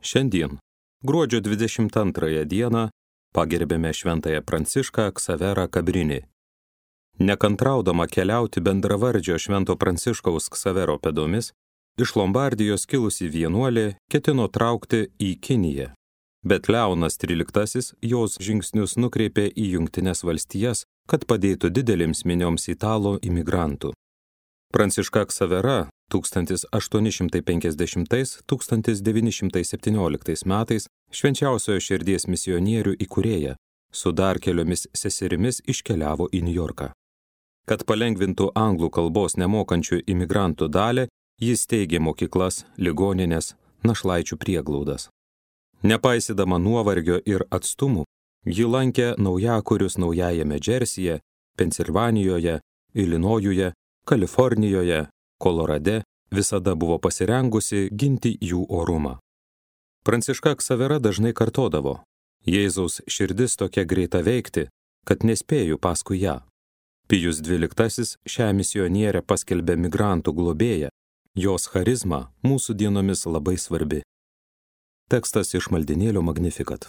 Šiandien, gruodžio 22 dieną, pagerbėme šventąją Prancišką Ksaverą Kabrinį. Nekantraudama keliauti bendravardžio švento Pranciškaus Ksavero pėdomis, iš Lombardijos kilusi vienuolė ketino traukti į Kiniją. Bet Leonas XIII jos žingsnius nukreipė į Jungtines valstijas, kad padėtų didelėms minioms italų imigrantų. Pranciška Ksavera 1850–1917 metais švenčiausiojo širdies misionierių įkūrėja su dar keliomis seserimis iškeliavo į Niujorką. Kad palengvintų anglų kalbos nemokančių imigrantų dalį, jis steigė mokyklas, ligonines, našlaičių prieglaudas. Nepaisydama nuovargio ir atstumų, ji lankė naujakurius Naujajame Džersyje, Pensilvanijoje, Ilinojuje, Kalifornijoje, Kolorade, visada buvo pasirengusi ginti jų orumą. Pranciška Ksavera dažnai kartodavo: Jėzaus širdis tokia greita veikti, kad nespėju paskui ją. Pijus XII šią misionierę paskelbė migrantų globėją, jos charizma mūsų dienomis labai svarbi. Tekstas iš maldynėlio Magnificat.